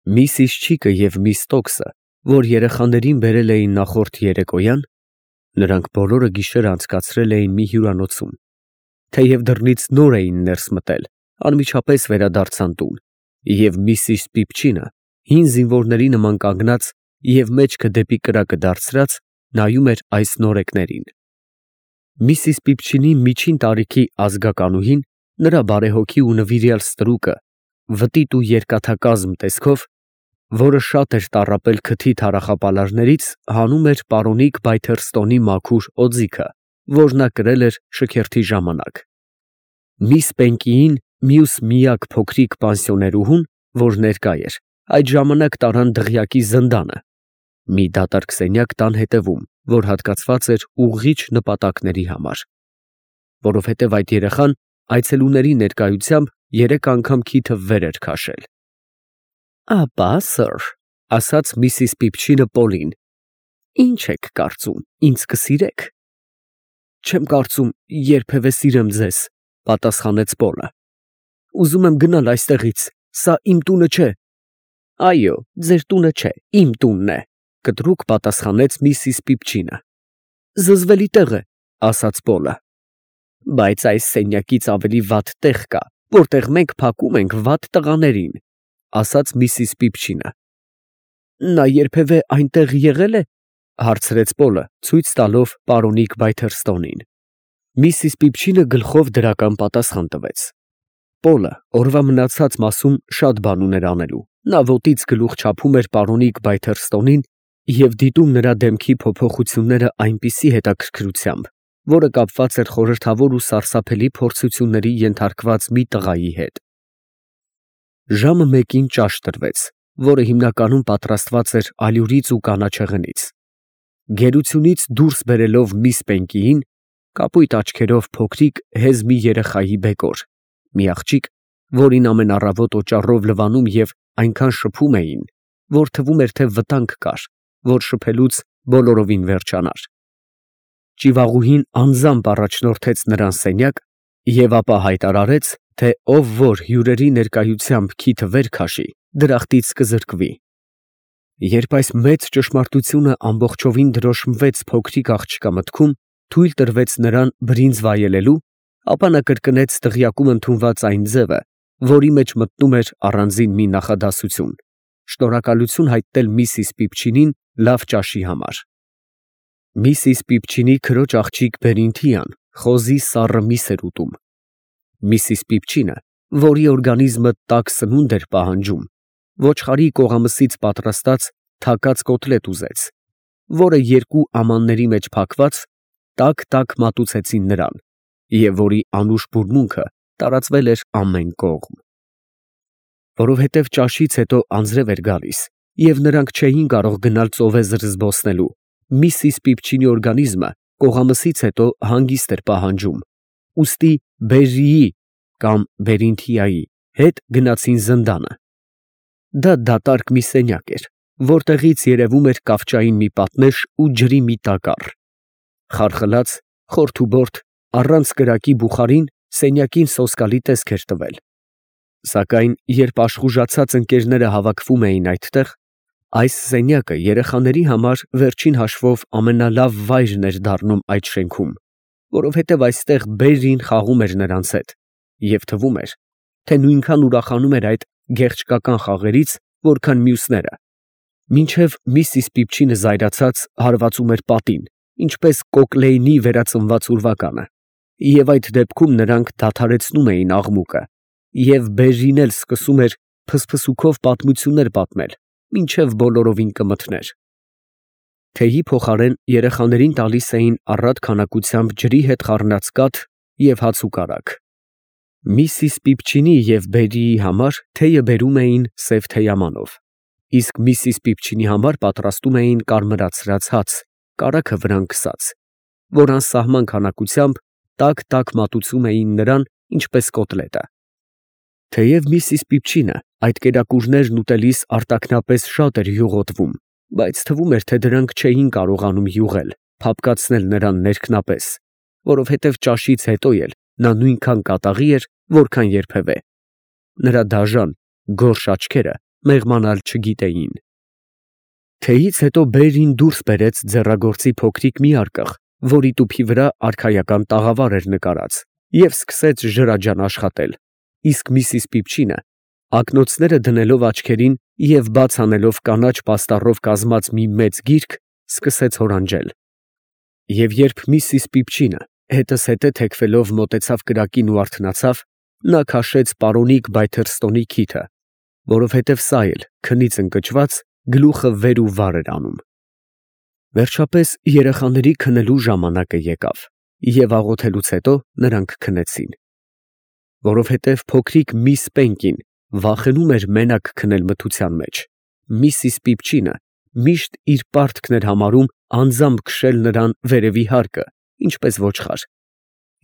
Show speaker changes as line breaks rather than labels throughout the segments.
Միսիս Չիկը և միս Տոքսը, որ երեխաներին բերել էին նախորդ երեկոյան, նրանք բոլորը գիշերը անցկացրել էին մի հյուրանոցում, թեև դռնից նոր էին ներս մտել, անմիջապես վերադարձան տուն, և միսիս Պիպչինը, հին զինվորների նման կանգնած և մեջքը դեպի կրակը դարձրած, նայում էր այս նորեկներին։ Միսիս Պիպչինի միջին տարիքի ազգականուհին, նրա բարեհոգի ու նվիրյալ ստրուկը, վտիտ ու երկաթակազմ տեսքով, որը շատ էր տառապել քթի թառախապալարներից, հանում էր պարոնիկ Բայթերստոնի մաքուր օձիքը, որ նա կրել էր շքերթի ժամանակ։ Միս Պենկիին մյուս միակ փոքրիկ պանսիոներուհուն, որ ներկա էր, այդ ժամանակ տարան դղյակի զնդանը, մի դատարկ սենյակ տան հետևում, որ հատկացված էր ուղղիչ նպատակների համար, որովհետև այդ երեխան այցելուների ներկայությամբ 3 անգամ քիթը վեր էր քաշել։ «Ապա, սըր, ֊ ասաց միսիս Պիպչինը Պոլին, ֊ ի՞նչ եք կարծում, ինձ կսիրե՞ք»։ «Չեմ կարծում երբևէ սիրեմ ձեզ, ֊ պատասխանեց Պոլը։ ֊ Ուզում եմ գնալ այստեղից, սա իմ տունը չէ։ ֊ Այո, ձեր տունը չէ, իմ տունն է, ֊ կտրուկ պատասխանեց միսիս Պիպչինը։ ֊ Զզվելի տեղ է, ֊ ասաց Պոլը։ ֊ Բայց այս սենյակից ավելի վատ տեղ կա, որտեղ մենք փակում ենք վատ տղաներին, ֊ ասաց միսիս Պիպչինը։ ֊ Նա երբևէ այնտեղ եղե՞լ է, ֊ հարցրեց Պոլը, ցույց տալով պարոնիկ Բայթերստոնին։ Միսիս Պիպչինը գլխով դրական պատասխան տվեց։ Պոլը օրվա մնացած մասում շատ բան ուներ անելու, նա ոտից գլուխ չափում էր պարոնիկ Բայթերստոնին և դիտում նրա դեմքի փոփոխությունները այնպիսի հետաքրքրությամբ, որը կապված էր խորհրդավոր ու սարսափելի փորձությունների ենթարկված մի տղայի հետ։ Ժամը 1-ին ճաշ տրվեց, որը հիմնականում պատրաստված էր ալյուրից ու կանաչեղենից։ Գերությունից դուրս բերելով միս Պենկիին, կապույտ աչքերով փոքրիկ հեզ մի երեխայի բեկոր, մի աղջիկ, որին ամեն առավոտ օճառով լվանում և այնքան շփում էին, որ թվում էր, թե վտանգ կար, որ շփելուց բոլորովին վերջանար։ Ճիվաղուհին անձամբ առաջնորդեց նրան սենյակ և ապա հայտարարեց, թե ով որ հյուրերի ներկայությամբ քիթը վեր քաշի, դրախտից կզրկվի։ Երբ այս մեծ ճշմարտությունը ամբողջովին դրոշմվեց փոքրիկ աղջկա մտքում, թույլ տրվեց նրան բրինձ վայելելու, ապա նա կրկնեց դղյակում ընդունված այն ձևը, որի մեջ մտնում էր առանձին մի նախադասություն, շնորհակալություն հայտնել միսիս Պիպչինին լավ ճաշի համար։ Միսիս Պիպչինի քրոջ աղջիկ Բերինթիան խոզի սառը միս էր ուտում։ Միսիս Պիպչինը, որի օրգանիզմը տաք սնունդ էր պահանջում, ոչխարի կողամսից պատրաստած թակած կոտլետ ուզեց, որը 2 ամանների մեջ փակված տաք մատուցեցին նրան, և որի անուշ բուրմունքը տարածվել էր ամեն կողմ։ Որովհետև ճաշից հետո անձրև էր գալիս, և նրանք չէին կարող գնալ ծովեզր զբոսնելու, միսիս Պիպչինի օրգանիզմը կողամսից հետո հանգիստ էր պահանջում, ուստի Բերրիի կամ Բերինթիայի հետ գնացին զնդանը։ Դա դատարկ մի սենյակ էր, որտեղից երևում էր կավճային մի պատնեշ ու ջրի մի տակառ։ Խարխլած, խորթուբորդ, առանց կրակի բուխարին սենյակին սոսկալի տեսք էր տվել։ Սակայն երբ աշխուժացած ընկերները հավաքվում էին այդտեղ, այս սենյակը երեխաների համար վերջին հաշվով ամենալավ վայրն էր դառնում այդ շենքում, որովհետև այստեղ Բերրին խաղում էր նրանց հետ, և թվում էր, թե նույնքան ուրախանում էր այդ գեղչկական խաղերից, որքան մյուսները, մինչև միսիս Պիպչինը զայրացած հարվածում էր պատին, ինչպես Կոկլեյնի վերածնված ուրվականը, և այդ դեպքում նրանք դադարեցնում էին աղմուկը, և Բերրին էլ սկսում էր փսփսուքով պատմություններ պատմել, մինչև բոլորովին կմթներ։ Թեյի փոխարեն երեխաներին տալիս էին առատ քանակությամբ ջրի հետ խառնած կաթ և հաց ու կարագ։ Միսիս Պիպչինի և Բերրիի համար թեյը բերում էին սև թեյամանով, իսկ միսիս Պիպչինի համար պատրաստում էին կարմրացրած հաց, կարագը վրան քսած, որ անսահման քանակությամբ տաք մատուցում էին նրան, ինչպես կոտլետը։ Թեև միսիս Պիպչինը այդ կերակուրներն ուտելիս արտաքնապես շատ էր յուղոտվում, բայց թվում էր, թե դրանք չէին կարողանում յուղել, փափկացնել նրան ներքնապես, որովհետև ճաշից հետո էլ նա նույնքան կատաղի էր, որքան երբևէ։ Նրա դաժան, գորշ աչքերը մեղմանալ չգիտեին։ Թեյից հետո Բերրին դուրս բերեց ձեռագործի փոքրիկ մի արկղ, որի տուփի վրա արքայական տաղավար էր նկարած, և սկսեց ջրաջան աշխատել, իսկ Միսիս Պիփչինը, ակնոցները դնելով աչքերին և բաց անելով կանաչ պաստառով կազմած մի մեծ գիրք, սկսեց հորանջել։ Եվ երբ Միսիս Պիփչինը հետզհետե թեքվելով մոտեցավ կրակին ու արթնացավ, նա քաշեց պարոնիկ Բայթերստոնի քիթը, որովհետև սա էլ, քնից ընկճված, գլուխը վեր ու վար էր անում։ Վերջապես երեխաների քնելու ժամանակը եկավ, և աղոթելուց հետո նրանք քնեցին։ Որովհետև փոքրիկ միս Պենկին վախենում էր մենակ քնել մթության մեջ, Միսիս Պիփչինը միշտ իր պարտքն էր համարում անձամբ քշել նրան վերևի հարկը, ինչպես ոչխար,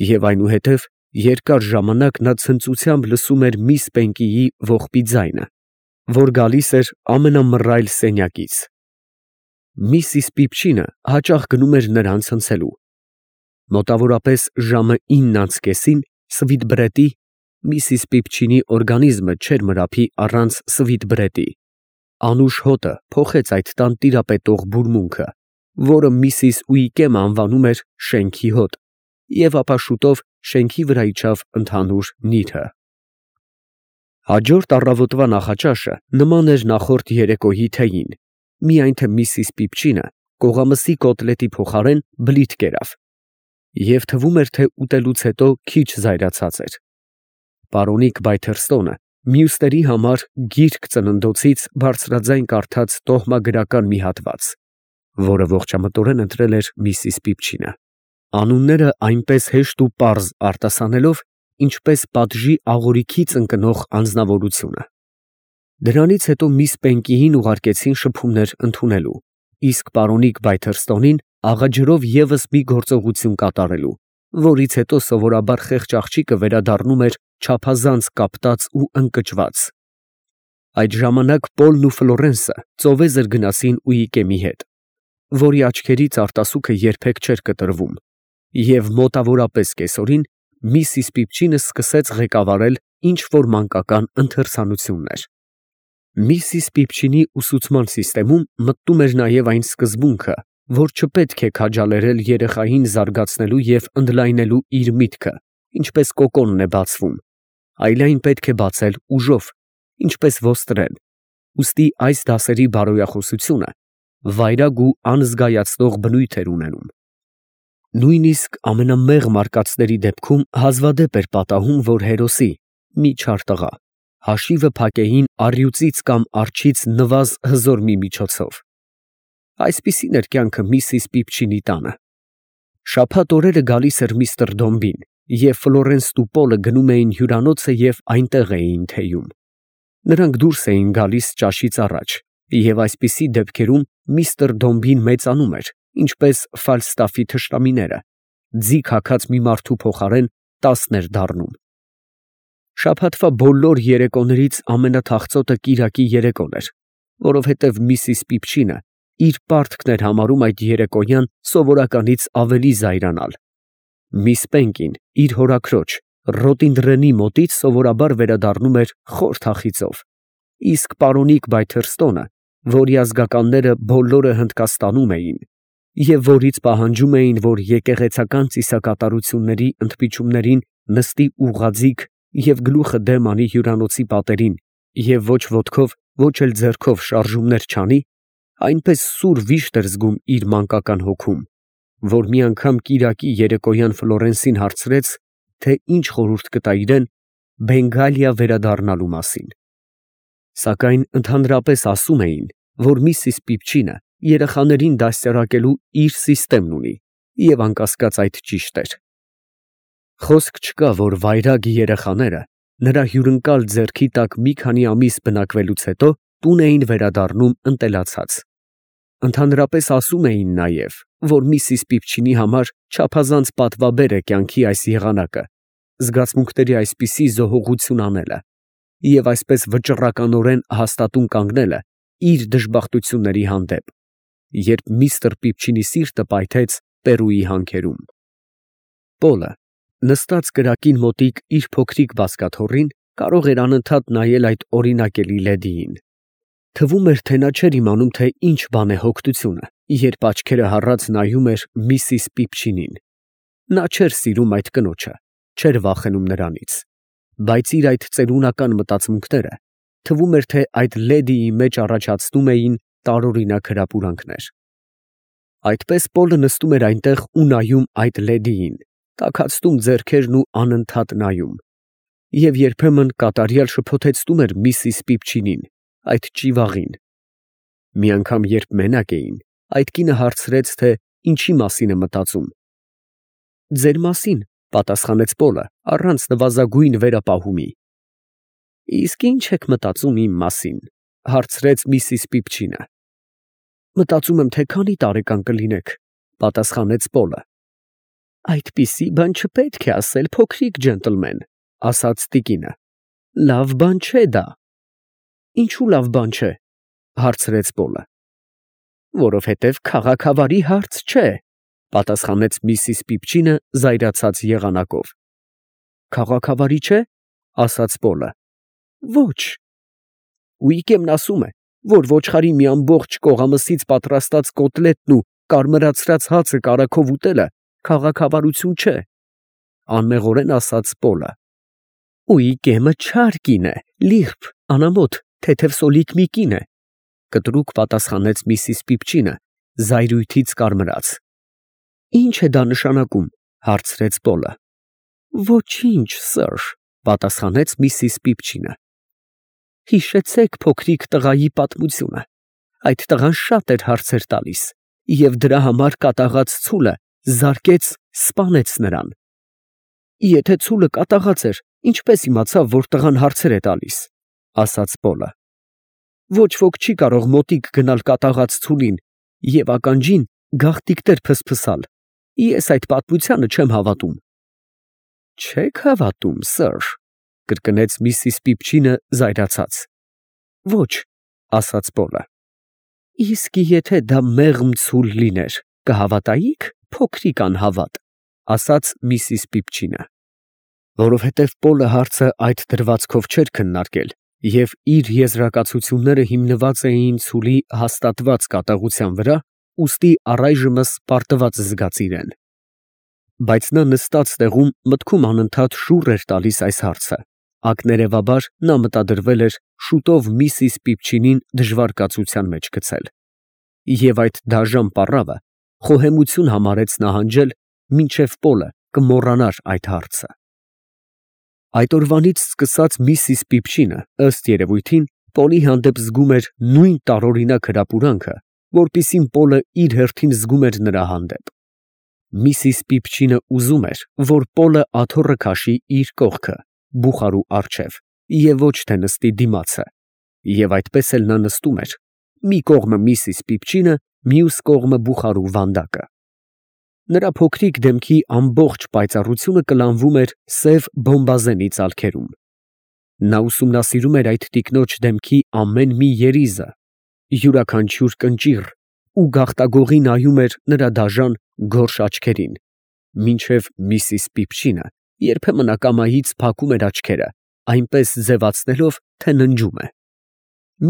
և այնուհետև երկար ժամանակ նա ցնծությամբ լսում էր միս Պենկիի ողբի ձայնը, որ գալիս էր ամենամռայլ սենյակից։ Միսիս Պիփչինը հաճախ գնում էր նրան ցնցելու։ Մոտավորապես ժամը 9:30-ին Սվիթբրեդի Միսիս Պիփչինի օրգանիզմը չէր մրափի առանց Սվիթբրեդի։ Անուշ հոտը փոխեց այդ տան տիրապետող բուրմունքը, որը Միսիս Ուիկեմը անվանում էր շենքի հոտ, և ապա շուտով շենքի վրա իջավ ընդհանուր նիրհը։ Հաջորդ առավոտվա նախաճաշը նման էր նախորդ երեկոյի թեյին, միայն թե Միսիս Պիփչինը կողամսի կոտլետի փոխարեն բլիթ կերավ, և թվում էր, թե ուտելուց հետո քիչ զայրացած էր։ Պարոնիկ Բայթերստոնը մյուսների համար գիրք ծննդոցից բարձրաձայն կարդաց տոհմագրական մի հատված, որը ողջամտորեն ընտրել էր Միսիս Պիփչինը, անունները այնպես հեշտ ու պարզ արտասանելով, ինչպես պատժի աղորիքից ընկնող անձնավորությունը։ Դրանից հետո միս Պենկիին ուղարկեցին շփումներ ընդունելու, իսկ պարոնիկ Բայթերստոնին աղաջրով ևս մի գործողություն կատարելու, որից հետո սովորաբար խեղճ աղջիկը վերադառնում էր չափազանց կապտած ու ընկճված։ Այդ ժամանակ Պոլն ու Ֆլորենսը ծովեզր գնացին Ուիկեմի հետ, որի աչքերից արտասուքը երբեք չէր կտրվում, և մոտավորապես կեսօրին Միսիս Պիփչինը սկսեց ղեկավարել ինչ-որ մանկական ընթերցանություններ։ Միսիս Պիփչինի ուսուցման սիստեմում մտնում էր նաև այն սկզբունքը, որ չպետք է քաջալերել երեխային զարգացնելու և ընդլայնելու իր միտքը, ինչպես կոկոնն է բացվում, այլ այն պետք է բացել ուժով, ինչպես ոստրեն, ուստի այս դասերի բարոյախոսությունը վայրագ ու անզգայացնող բնույթ էր ունենում։ Նույնիսկ ամենամեղմ արկածների դեպքում հազվադեպ էր պատահում, որ հերոսի, մի չար տղա, հաշիվը փակեին առյուծից կամ արջից նվազ հզոր մի միջոցով։ Այսպիսին էր կյանքը Միսիս Պիփչինի տանը։ Շաբաթ օրերը գալիս էր միստր Դոմբին, և Ֆլորենսն ու Պոլը գնում էին հյուրանոցը և այնտեղ էին թեյում։ Նրանք դուրս էին գալիս ճաշից առաջ, և այսպիսի դեպքերում միստր Դոմբին մեծանում էր, ինչպես Ֆալստաֆի թշնամիները, ձիգ հագած մի մարդու փոխարեն 10 էր դառնում։ Շաբաթվա բոլոր երեկոներից ամենաթախծոտը կիրակի երեկոն էր, որովհետև Միսիս Պիփչինը իր պարտքն էր համարում այդ երեկոյան սովորականից ավելի զայրանալ։ Միս Պենկին իր հորաքրոջ Ռոտինդրենի մոտից սովորաբար վերադառնում էր խոր թախիծով, իսկ պարոնիկ Բայթերստոնը, որի ազգականները բոլորը Հնդկաստանում էին, և որից պահանջում էին, որ եկեղեցական ծիսակատարությունների ընդմիջումներին նստի ուղղաձիգ և գլուխը դեմ անի հյուրանոցի պատերին և ոչ ոտքով, ոչ էլ ձեռքով շարժումներ չանի, այնպես սուր վիշտ էր զգում իր մանկական հոգում, որ մի անգամ կիրակի երեկոյան Ֆլորենսին հարցրեց, թե ինչ խորհուրդ կտա իրան Բենգալիա վերադառնալու մասին։ Սակայն ընդհանրապես ասում էին, որ Միսիս Պիփչինը երեխաներին դաստիարակելու իր սիստեմն ունի, և անկասկած այդ ճիշտ էր։ Խոսք չկա, որ վայրագ երեխաները նրա հյուրընկալ ձեռքի տակ մի քանի ամիս բնակվելուց հետո տուն էին վերադառնում ընտելացած։ Ընդհանրապես ասում էին նաև, որ Միսիս Պիփչինի համար չափազանց պատվաբեր է կյանքի այս եղանակը, զգացմունքների այսպիսի զոհողություն անելը և այսպես վճռականորեն հաստատուն կանգնելը իր դժբախտությունների հանդեպ, երբ միստր Պիփչինի սիրտը պայթեց Պերուի հանքերում։ Պոլը, նստած կրակին մոտիկ իր փոքրիկ բազկաթոռին, կարող էր անընդհատ նայել այդ օրինակելի լեդիին, Թվում էր, թե նա չէր իմանում, թե ինչ բան է հոգտությունը, երբ աչքերը հառած նայում էր Միսիս Պիպչինին։ Նա չէր սիրում այդ կնոջը, չէր վախենում նրանից, բայց իր այդ ծերունական մտածմունքները թվում էր, թե այդ լեդիի մեջ առաջացնում էին տարօրինակ հրապուրանքներ։ Այդպես Պոլը նստում էր այնտեղ ու նայում այդ լեդիին, տաքացնում ձեռքերն ու անընդհատ նայում, և երբեմն կատարյալ շփոթեցնում էր Միսիս Պիպչինին, այդ ճիվաղին։ Մի անգամ, երբ մենակ էին, այդ կինը հարցրեց, թե ինչի մասին է մտածում։ «Ձեր մասին», պատասխանեց Պոլը, առանց նվազագույն վերապահումի։ «Իսկ ի՞նչ եք մտածում իմ մասին», հարցրեց Միսիս Պիպչինը։ «Մտածում եմ, թե քանի տարեկան կլինեք», պատասխանեց Պոլը։ «Այդպիսի բան չպետք է ասել, փոքրիկ ջենտլմեն», ասաց տիկինը։ «Լավ բան չէ դա»։ «Ինչու լավ բան չէ», հարցրեց Պոլը։ «Որովհետև քաղաքավարի հարց չէ», պատասխանեց Միսիս Պիպչինը զայրացած եղանակով։ «Քաղաքավարի չէ», ասաց Պոլը։ «Ոչ»։ Ուիկեմն ասում է, որ ոչխարի մի ամբողջ կողամսից պատրաստած կոտլետն ու կարմրացրած հացը կարագով ուտելը քաղաքավարություն չէ, անմեղորեն ասաց Պոլը։ «Ուիկեմը չար կին է, լիրբ, անամոթ, թեթև սոլիկ մի կին է», կտրուկ պատասխանեց Միսիս Պիպչինը, զայրույթից կարմրած։ «Ինչ է դա նշանակում», հարցրեց Պոլը։ «Ոչինչ, սըր», պատասխանեց Միսիս Պիպչինը։ «Հիշեցեք փոքրիկ տղայի պատմությունը։ Այդ տղան շատ էր հարցեր տալիս, և դրա համար կատաղած ցուլը զարկեց, սպանեց նրան»։ «Եթե ցուլը կատաղած էր, ինչպես իմացավ, որ տղան հարցեր է տալիս», ասաց Պոլը։ «Ոչ ոք չի կարող մոտիկ գնալ կատաղած ցուլին և ականջին գաղտիկներ փսփսալ։ Ես այդ պատմությանը չեմ հավատում»։ «Չեք հավատում, սըր», կրկնեց Միսիս Պիպչինը զայրացած։ «Ոչ», ասաց Պոլը։ «Իսկ եթե դա մեղմ ցուլ լիներ, կհավատայի՞ք, փոքրիկ անհավատ», ասաց Միսիս Պիպչինը։ Որովհետև Պոլը հարցը այդ դրվածքով չէր քննարկել, և իր եզրակացությունները հիմնված էին ցուլի հաստատված կատաղության վրա, ուստի առայժմս պարտված զգաց իրեն։ Բայց նա նստած տեղում մտքում անընդհատ շուռ էր տալիս այս հարցը, ակներևաբար նա մտադրվել էր շուտով Միսիս Պիպչինին դժվար կացության մեջ գցել։ Եվ այդ դաժան պառավը խոհեմություն համարեց նահանջել, մինչև Պոլը կմոռանար այդ հարցը։ Այդ օրվանից սկսած Միսիս Պիպչինը, ըստ երևույթին, Պոլի հանդեպ զգում էր նույն տարօրինակ հրապուրանքը, որպիսին Պոլը իր հերթին զգում էր նրա հանդեպ։ Միսիս Պիպչինը ուզում էր, որ Պոլը աթոռը քաշի իր կողքը, բուխարու առջև, և ոչ թե նստի դիմացը, և այդպես էլ նա նստում էր, մի կողմը Միսիս Պիպչինը, մյուս կողմը բուխարու վանդակը։ Նրա փոքրիկ դեմքի ամբողջ պայծառությունը կլանվում էր սև բոմբազենի ծալքերում։ Նա ուսումնասիրում էր այդ տիկնոջ դեմքի ամեն մի երիզը, յուրաքանչյուր կնճիռ ու գաղտագողի նայում էր նրա դաժան, գորշ աչքերին, մինչև Միսիս Պիպչինը երբեմն ակամայից փակում էր աչքերը, այնպես ձևացնելով, թե ննջում է։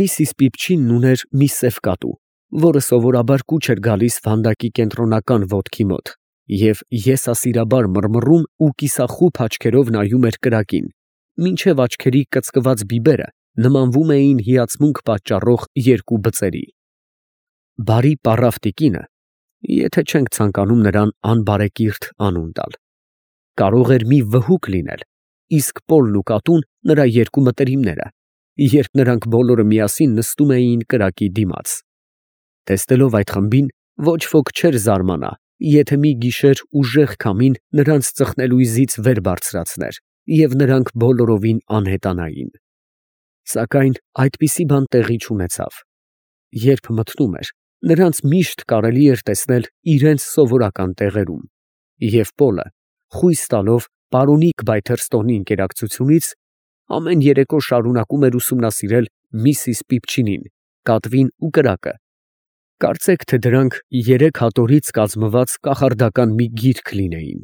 Միսիս Պիպչինն ուներ մի սև կատու, որը սովորաբար կուչ էր գալիս վանդակի կենտրոնական ոտքի մոտ, և եսասիրաբար մռմռում ու կիսախուփ աչքերով նայում էր կրակին, մինչև աչքերի կծկված բիբերը նմանվում էին հիացմունք պատճառող երկու բծերի։ Բարի պառավ տիկինը, եթե չենք ցանկանում նրան անբարեկիրթ անուն տալ, կարող էր մի վհուկ լինել, իսկ Պոլն ու կատուն նրա երկու մտերիմները, երբ նրանք բոլորը միասին նստում էին կրակի դիմաց։ Տեսնելով այդ խմբին, ոչ ոք չէր զարմանա, եթե մի գիշեր ուժեղ քամին նրանց ծխնելույզից վեր բարձրացներ, և նրանք բոլորովին անհետանային։ Սակայն այդպիսի բան տեղի չունեցավ։ Երբ մթնում էր, նրանց միշտ կարելի էր տեսնել իրենց սովորական տեղերում, և Պոլը, խույս տալով պարոնիկ Բայթերստոնի ընկերակցությունից, ամեն երեկո շարունակում էր ուսումնասիրել Միսիս Պիպչինին, կատվին ու կրակը։ Կարծեք, թե դրանք երեք հատորից կազմված կախարդական մի գիրք լինեին։